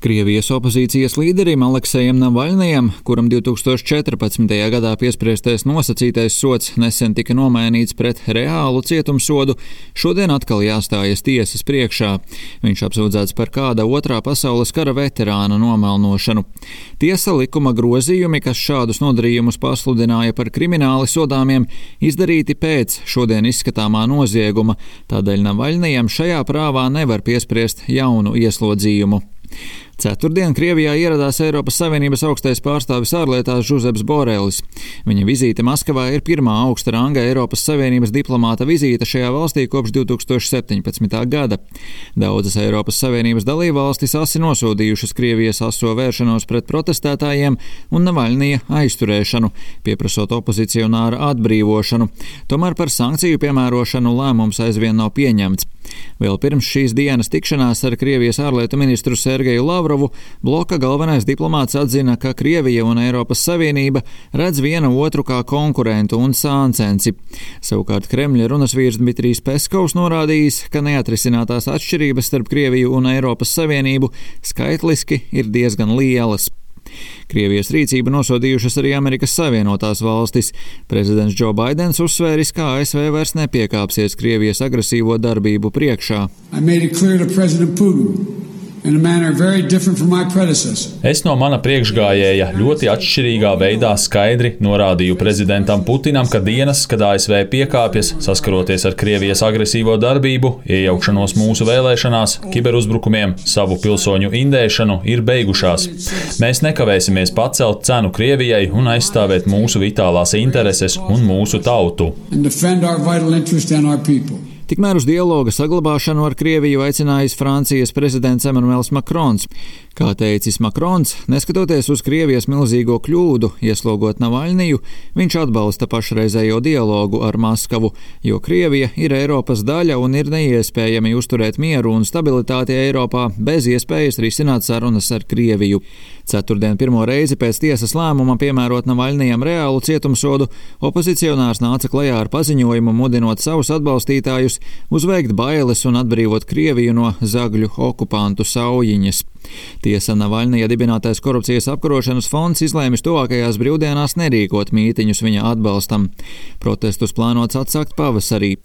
Krievijas opozīcijas līderim Aleksejam Navaļnijam, kuram 2014. gadā piespriestais nosacītais sods nesen tika nomainīts pret reālu cietumsodu, šodien atkal jāstājas tiesas priekšā. Viņš apsūdzēts par kāda otrā pasaules kara veterāna nomelnošanu. Tiesa likuma grozījumi, kas šādus nodarījumus pasludināja par krimināli sodāmiem, izdarīti pēc šodien izskatāmā nozieguma, tādēļ Navaļnijam šajā prāvā nevar piespriest jaunu ieslodzījumu. Ceturtdien Krievijā ieradās Eiropas Savienības augstais pārstāvis ārlietās Žuzeps Borelis. Viņa vizīte Maskavā ir pirmā augsta ranga Eiropas Savienības diplomāta vizīte šajā valstī kopš 2017. gada. Daudzas Eiropas Savienības dalībvalstis asi nosodījušas Krievijas aso vēršanos pret protestētājiem un Navaļnija aizturēšanu, pieprasot opozicionāra atbrīvošanu. Tomēr par sankciju piemērošanu lēmums aizvien nav pieņemts. Vēl pirms šīs dienas tikšanās ar Krievijas ārlietu ministru Sergeju Lavrovu bloka galvenais diplomāts atzina, ka Krievija un Eiropas Savienība redz viena otru kā konkurentu un sāncensi. Savukārt Kremļa runasvīrs Dmitrijs Peskovs norādījis, ka neatrisinātās atšķirības starp Krieviju un Eiropas Savienību skaitliski ir diezgan lielas. Krievijas rīcību nosodījušas arī Amerikas Savienotās valstis. Prezidents Džo Baidens uzsvēris, ka ASV vairs nepiekāpsies Krievijas agresīvo darbību priekšā. Es no mana priekšgājēja ļoti atšķirīgā veidā skaidri norādīju prezidentam Putinam, ka dienas, kad ASV piekāpjas, saskaroties ar Krievijas agresīvo darbību, iejaukšanos mūsu vēlēšanās, kiberuzbrukumiem, savu pilsoņu indēšanu, ir beigušās. Mēs nekavēsimies pacelt cenu Krievijai un aizstāvēt mūsu vitālās intereses un mūsu tautu. Tikmēr uz dialoga saglabāšanu ar Krieviju aicinājis Francijas prezidents Emmanuels Macrons. Kā teicis Macrons, neskatoties uz Krievijas milzīgo kļūdu, ieslogot Navaļniju, viņš atbalsta pašreizējo dialogu ar Maskavu, jo Krievija ir Eiropas daļa un ir neiespējami uzturēt mieru un stabilitāti Eiropā bez iespējas risināt sarunas ar Krieviju. Ceturtdien pirmo reizi pēc tiesas lēmuma piemērot Navaļnijam reālu cietumsodu, opozicionārs nāca klajā ar paziņojumu, mudinot savus atbalstītājus uzveikt bailes un atbrīvot Krieviju no zagļu okupantu saujiņas. Tiesa Navaļnija dibinātais korupcijas apkarošanas fonds izlēmis tuvākajās brīvdienās nerīkot mītiņus viņa atbalstam. Protestus plānots atsākt pavasarī.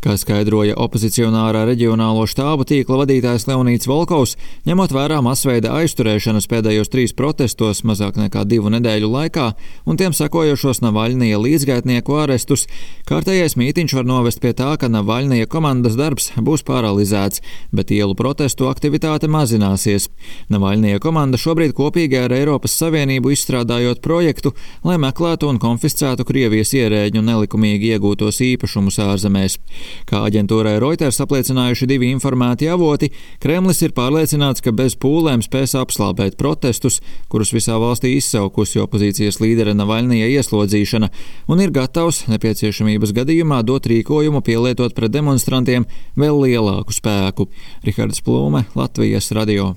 Kā skaidroja opozicionārā reģionālo štābu tīkla vadītājs Leonīds Volkovs, ņemot vērā masveida aizturēšanas pēdējos 3 protestos mazāk nekā 2 nedēļu laikā un tiem sekojošos Navaļnija līdzgaitnieku arestus, kārtējais mītiņš var novest pie tā, ka Navaļnija komandas darbs būs paralizēts, bet ielu protestu aktivitāte mazināsies. Navaļnija komanda šobrīd kopīgi ar Eiropas Savienību izstrādājot projektu, lai meklētu un konfiscētu Krievijas ierēģu nelikumīgi iegūtos īpašumus ārzemēs. Kā aģentūrai Reuters apliecinājuši 2 informēti avoti, Kremlis ir pārliecināts, ka bez pūlēm spēs apslāpēt protestus, kurus visā valstī izsaukusi opozīcijas līdera Navaļnija ieslodzīšana, un ir gatavs nepieciešamības gadījumā dot rīkojumu pielietot pret demonstrantiem vēl lielāku spēku. Rihards Plūme, Latvijas radio.